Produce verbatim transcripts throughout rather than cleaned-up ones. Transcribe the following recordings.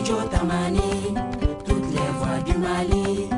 Studio Tamani, toutes les voix du Mali.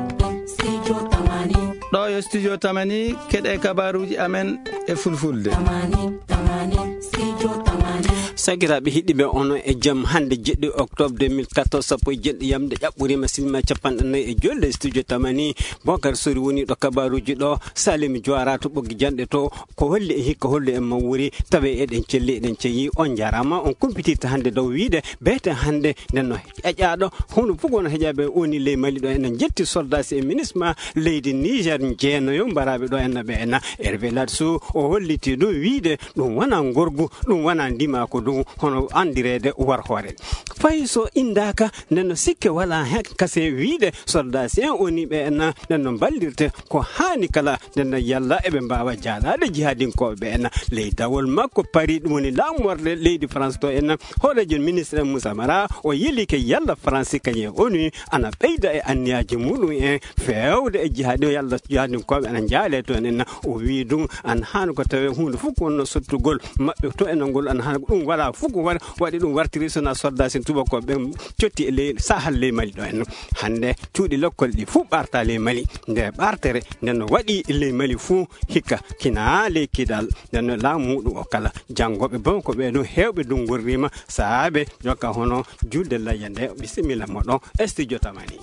Studio Tamani. Ɗo yo Studio Tamani, keɗe kabaruji amen e fulfulde. Tamani, Tamani, Studio Tamani. Sakiraaɓe heɗiiɓe, ono e jam hannde jeɗɗi octobre deux mille quatorze, sappo e jeɗɗi yamde ƴaɓɓoriima sinima capanɗe nayi e joyyi e Studio Tamani. Bokar Sori woni ɗo kabaruji ɗo, Salim Joara to ɓoggi janɗe to, ko holli e hikka holli en ma wuri, tawi eɗen celli, eɗen ceyi. On njaaraama, on kumpitirta hannde dow wiide, beete hannde nden no ƴaƴaaɗo, hono fof wona heƴaaɓe woni ley Mali ɗo, enen njetti soldats e minisma leydi Niger jeenayo mbaraaɓe ɗo enna ɓe enna. Hervé Ladsou o holliti ɗum wiide ɗum wona ngorgu, ɗum wona ndimaaku, ɗum hono anndireede war hoore. Fay so inndaaka, nden no sikke wala heen kase wiide soldats en woni ɓe enna, nden no mballirte ko haani kala, nden no yalla eɓe mbaawa jaalaade jihadinkooɓe ɓe enna. Ley dawol makko Paris, ɗum woni laamorde leydi France to enna, hooreejo ministre Moussa Mara, o yelike yalla France kañum e onu ana ɓeyda e anniyaaji muɗum en feewde e jihadi, yalla jihadinkooɓe ana njaale to enna. O wii ɗum ana haani ko tawee huunde fof ko wonno sottugol maɓɓe to enna ngol ana haani ko ɗum wala fof ko wa-, waɗi ɗum wartiri sona soldats en tubakooɓe ɓen cotti e ley Sahel ley Mali ɗo enna. Hannde cuuɗi lekkol ɗi fof ɓarta ley Mali. Nde ɓartere nden no waɗi ley Mali fof hikka kina ley kidal. Nden no laamu muɗum o kala janngoɓe bon ko ɓe ɗum heewɓe ɗum ngorrima saabe jokka hono julde layya nde. Bisimilla moɗon e Studio Tamani.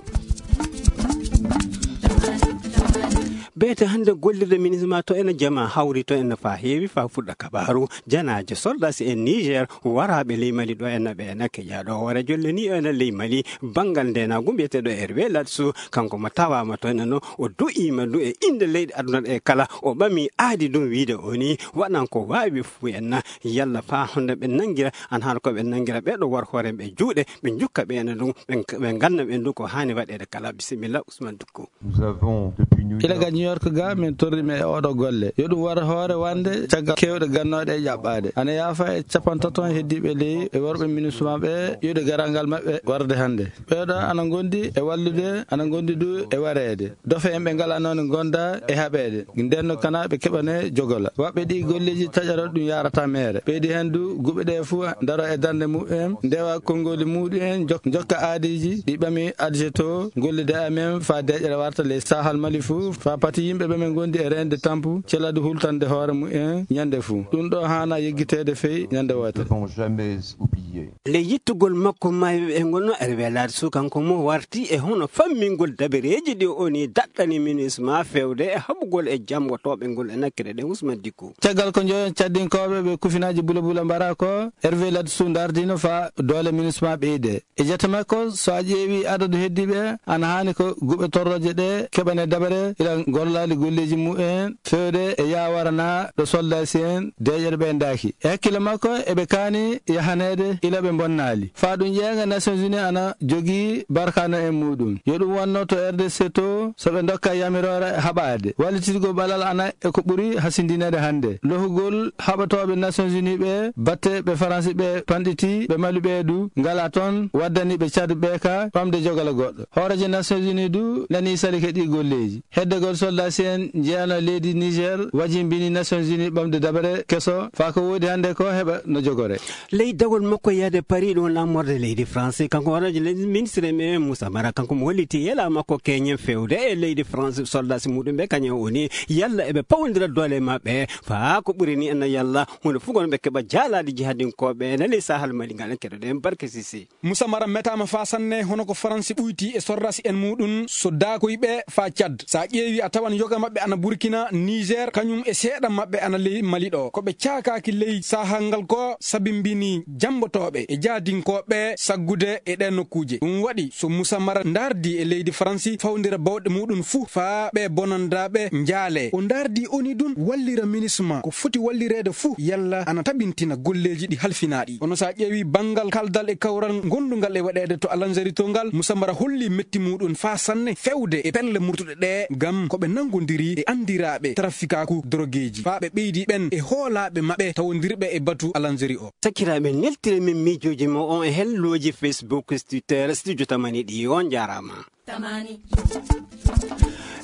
Beete hannde gollirde minisma to ena jama hawri to ena fa heewi fa fuɗɗa kabaru janaaje soldats en Niger waraaɓe ley Mali ɗo ena ɓe ena keƴa ɗo hoore jolle ni ena ley Mali. Banngal ndenaagu mbiyeteeɗo Hervé Ladsou, kanko mo tawaama toon eno, o du'iima du e innde leyɗe aduna ɗe kala, o ɓami aadi ɗum wiide o ni waɗan ko waawi fuu en na, yalla faa honde ɓe nanngira, an hara ko ɓe nanngira ɓee ɗo war hoore ɓe juuɗe, ɓe njukka ɓe ene ɗum, ɓe, ɓe nganna ɓe ɗum ko haani waɗeede kala. Bisimilla, Ousmane Dukko. Nous avons depuis New Ila York ga New York ga, min torri ɓe e oɗo golle. Yo ɗum war hoore wande caggal kewɗe gannooɗe e ƴaɓɓaade. Ana yaafa e capantato heddiiɓe ley e worɓe MINUSMA ɓe, yiɗde garal ngal maɓɓe warde hannde. Ɓeeɗo ana ngondi e wallude, ana ngondi du e wareede. Dofe en ɓe ngalaa noon gonda e haɓeede. Nden no kana ɓe keɓane jogola. Waɓɓe ɗi golleeji taƴara ɗum yarata meere. Ɓeydi heen du guɓe ɗe fuu daro e darnde muɓɓen, ndewa konngoli muɗum en, jok-, jokka aadiiji ɗi ɓami adjeto gollude amen faa deeƴere warta ley Sahal Mali fuu, faa pati yimɓe ɓe men ngondi e reende tampu, celadu hultande hoore mumen ñande fuu. Ɗum ɗo haana yeggiteede fey ñande wootere. Ne vont jamais oublier. Nde yittugol makko maayo e ngono Hervé Ladsou kanko mo warti e hono fammingol dabereeji ɗi o ni daɗɗani MINUSMA feewde e haɓugol e jammbotooɓe ngol e nakkere ɗen Ousmane Dicko. Caggal ko njoyon caddinkooɓe ɓe kufinaaji bula bula mbara ko, Hervé Ladsou ndardino faa doole MINUSMA ɓeyde. E jate makko, so a ƴeewi adadu heddiiɓe, ana haani ko guɓe torrooje ɗe keɓane dabare ila gollaali golleeji mumen feewde e yaawara na ɗo soldasi en deeƴere ɓe ndaaki. E hakkille makko, eɓe kaani yahaneede ila ɓe bonnaali. Faa ɗum ƴeeŋa Nations Unies ana jogii barkaano en muɗum. Yo ɗum wonno to R D C to, so ɓe ndokka yamiroore haɓaade. Wallititgol ɓalal ana e ko ɓuri hasindineede hannde. Lohugol haɓatooɓe Nations Unies ɓe, batte ɓe Faransi ɓe panɗiti, ɓe Mali ɓe du, ngala toon, waddani ɓe Tchad ɓe ka ɓamde jogala goɗɗo. Hooreejo Nations Unies du nani salike ɗi golleeji. Heddegol soldasi en njeeyano leydi Niger wajimbini Nations Unies ɓamde dabare keso faa ko woodi hannde ko heɓa no jogore. Ley dawol makko yahde Paris ɗum laamorde leydi France, kanko hooreejo leydi ministre men Moussa Mara, kanko mo holliti yela makko keñen feewde e leydi France soldasi muɗum ɓe kañum o ni yalla eɓe pawondira doole maɓɓe faa ko ɓuri ni ena yalla hunde fof kono ɓe keɓa jaalaade jihadinkooɓe ene ley Sahal Mali ngal en keɗoɗen Barke Sisi. Moussa Mara metaama faa sanne hono ko Faransi ɓuyti e sorrasi en muɗum so daakoy ɓe faa Cad. So a ƴeewi a tawan yoga maɓɓe ana Burkina, Niger, kañum e seeɗa maɓɓe ana ley Mali ɗo. Ko ɓe caakaaki ley saahal ngal ko sabimbini jammbotooɓe e jahdinkooɓe saggude e ɗeen nokkuuje. Ɗum waɗi so Moussa Mara ndaardi e leydi Faransi fawndira bawɗe muɗum fuu faa ɓe bonandaaɓe njaale. O ndaardi o ni ɗum wallira MINUSMA ko foti wallireede fuu yalla ana tabintina golleeji ɗi halfinaaɗi. Kono so a ƴeewi banngal kaldal e kawral ngondungal e waɗeede to Alanzeri to ngal, Moussa Mara holli metti muɗum faa sanne feewde e pelle murtuɗe ɗe ngam ko ɓe nanngondiri e anndiraaɓe trafikaaku dorogeeji. Faa ɓe ɓeydi ɓen e hoolaaɓe maɓɓe tawondirɓe e batu Alanzeri o. Sakiraaɓe, neltire min miijooji mo on e helloji Facebook, Twitter, Studio Tamani ɗi. On njaaraama. Tamani.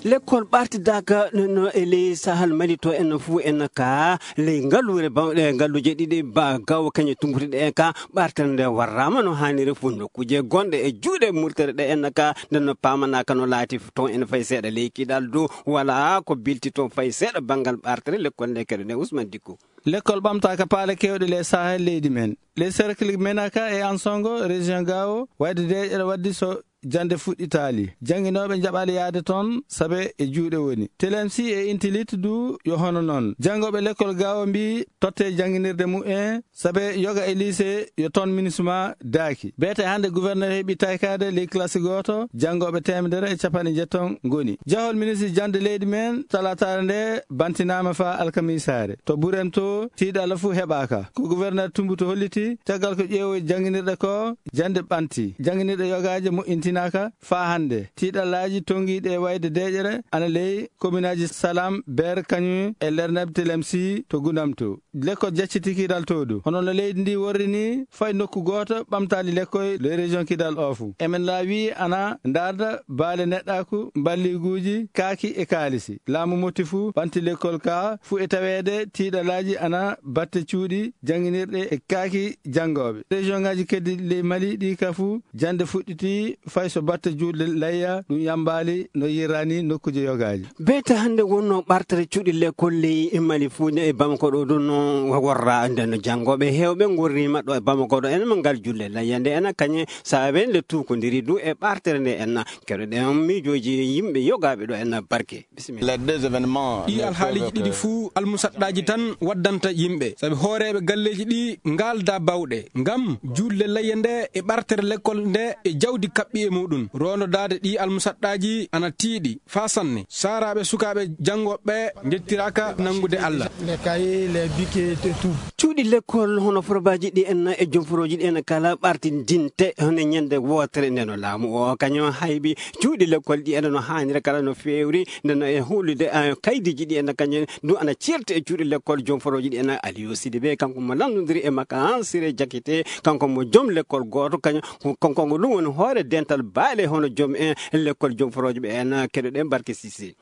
Lekkol ɓartidaaka no e ley Sahel Mali to en fuu en ka ley ngaluure bawɗe ngaluuje ɗiɗi ba gawo kañe tumbutuɗe en ka ɓartere nde warraama no haaniri fuu nokkuuje gonɗe e juuɗe murtere ɗe en ka nde no paamanaaka no laati toon en fay seeɗa ley kiɗal dow wala ko bilti toon fay seeɗa banngal ɓartere lekkol nde keɗo nde Ousmane Dikko. Lekkol ɓamtaaka paale kewɗe ley Sahel leydi men. Ley cercle Menaka e Ansongo, région Gao, wayde deeƴere waddi so jannde fuɗɗitaali. Jannginooɓe njaɓaali yahde toon, sabe e juuɗe woni. Telemsi e Intilit du yo hono noon. Janngooɓe lekkol Gao mbii totte jannginirde mumen, sabe yoga e lycée yo toon minisma daaki. Beete hannde gouverneur heɓi taykaade ley classe gooto, janngooɓe teemedere e capanɗe njetton ngoni. Jahol ministre jannde leydi men, talaataare nde bantinaama faa alkamiisaare. To Burem to, tiiɗalla fuu heɓaaka. Ko gouverneur Tumbutu holliti, caggal ko ƴeewoy jannginirɗe ko, jannde ɓanti. Jannginirɗe yogaaje moƴƴintinaaka faa hannde. Tiiɗallaaji tonngiiɗi e wayde deeƴere ana ley kominaaji Salam, Ber, Kañum e Lerneb Telemsi to Gundam to. Lekkol jacciti kiiral to du. Hono no leydi ndi worri ni, fay nokku gooto ɓamtaali lekkol ley région Kidal o fuu. Emen laawi ana ndaarda baale neɗɗaaku, mballiiguuji, kaaki e kaalisi. Laamu motti fuu, ɓanti lekkol ka fuu e taweede tiiɗalaaji ana batte cuuɗi jannginirɗe e kaaki janngooɓe. Région ngaaji keddi ley Mali ɗi ka fuu, jannde fuɗɗiti fay so batte juulde layya ɗum yambaali no yirrani nokkuuje yogaaji. Beete hannde wonno ɓartere cuuɗi lekkol ley Mali fuu ne e Bamako ɗo ɗum no worra nde no janngooɓe heewɓe ngorriima ɗo e Bamako ɗo enen mo ngal juulde layya nde enen kañe saabe nde tuukondiri du e ɓartere nde en keɗoɗen miijooji yimɓe yogaaɓe ɗo en barke. Bisimilla. Les deux événements ɗi ne alhaaliiji peuvent ɗiɗi que fuu almusaɗɗaaji tan waddanta yimɓe, sabi hooreeɓe galleeji ɗi ngaalda bawɗe ngam juulde layya nde e ɓartere lekkol nde e jawdi kaɓɓi e muɗum. Roondodaade ɗi almusaɗɗaaji ana tiiɗi faa sanne. Saaraaɓe sukaaɓe janngooɓe njettiraaka nanngude Alla. Les cahiers, les bics et tout. Cuuɗi lekkol hono forobaaji ɗi en e jomforooji ɗi en kala ɓartindinte hono ñande wootere nde no laamu o kañum haybi cuuɗi lekkol ɗi ene no haanira kala no feewri nde no e hulude eh, kaydiiji ɗi ene kañum du ana ceerti e cuuɗi lekkol jomforooji ɗi ene Aliou Sidibé kanko mo lanndondiri e makka Ansire Jakite kanko mo joom lekkol gooto kañum kanko ngo ɗum woni hoore dental baale hono joom en lekkol jomforooji ɓe en keɗoɗen Barke Sisi.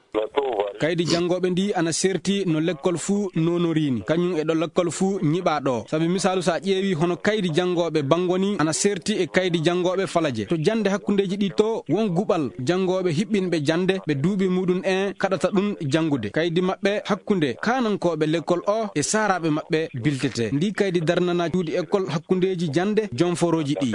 Kaydi janngooɓe ndi ana serti no lekkol fuu nonorini kañum e ɗo lekkol fuu ñiɓaa ɗo sabi misaalu so a ƴeewi hono kaydi janngooɓe banngo ni ana serti e kaydi janngooɓe falaje to jannde hakkundeeji ɗi to won guɓal janngooɓe hiɓɓinɓe jannde ɓe duuɓi muɗum en kaɗata ɗum janngude kaydi maɓɓe hakkunde kaanankooɓe lekkol o e saaraaɓe maɓɓe biltete ndi kaydi darnana cuuɗi ekkol hakkundeeji jannde jomforooji ɗi.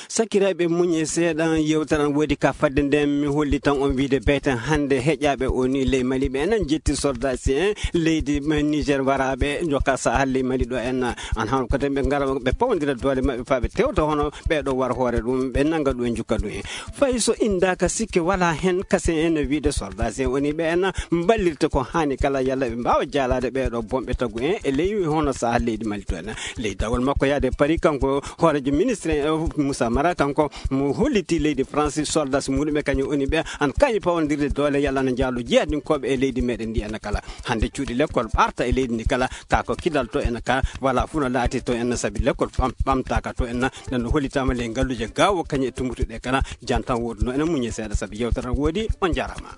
Sakiraaɓe muñe seeɗa yewtere an woodi ka fadde nden mi holli tan on wiide beten hannde heƴaaɓe o ni ley Mali ɓe enen jetti soldasi en leydi Niger waraaɓe jokka sahal ley Mali ɗo en an han ko ɓe ngara ɓe pawndira doole maɓɓe faa ɓe tewta hono ɓeeɗo war hoore ɗum ɓe nanga ɗum e jukka ɗum en fay so indaaka sikke wala hen kasen en wiide soldasi en woni ɓe en mballirta ko haani kala yalla ɓe mbaawa jaalaade ɓeeɗo bonɓe tagu en e ley hono sahal leydi Mali to en ley dawol makko yaade Paris kanko hoorejo ministre en Moussa Mara kanko mo holliti leydi France soldats muɗum e kañum woni ɓe an kañi pawandirde doole yalla na jaalo jeeyadinkooɓe e leydi meɗen ndi ena kala hannde cuuɗi lekkol ɓarta e leydi ndi kala ka ko kidal to ena ka wala fuu no laati to ena sabi lekkol ɓamtaka to ena ɗen no hollitama ley ngalluuje gawo kañum e tumbutuɗe kala jantan woduno ena muñi seeɗa sabi yewtere woodi on jarama.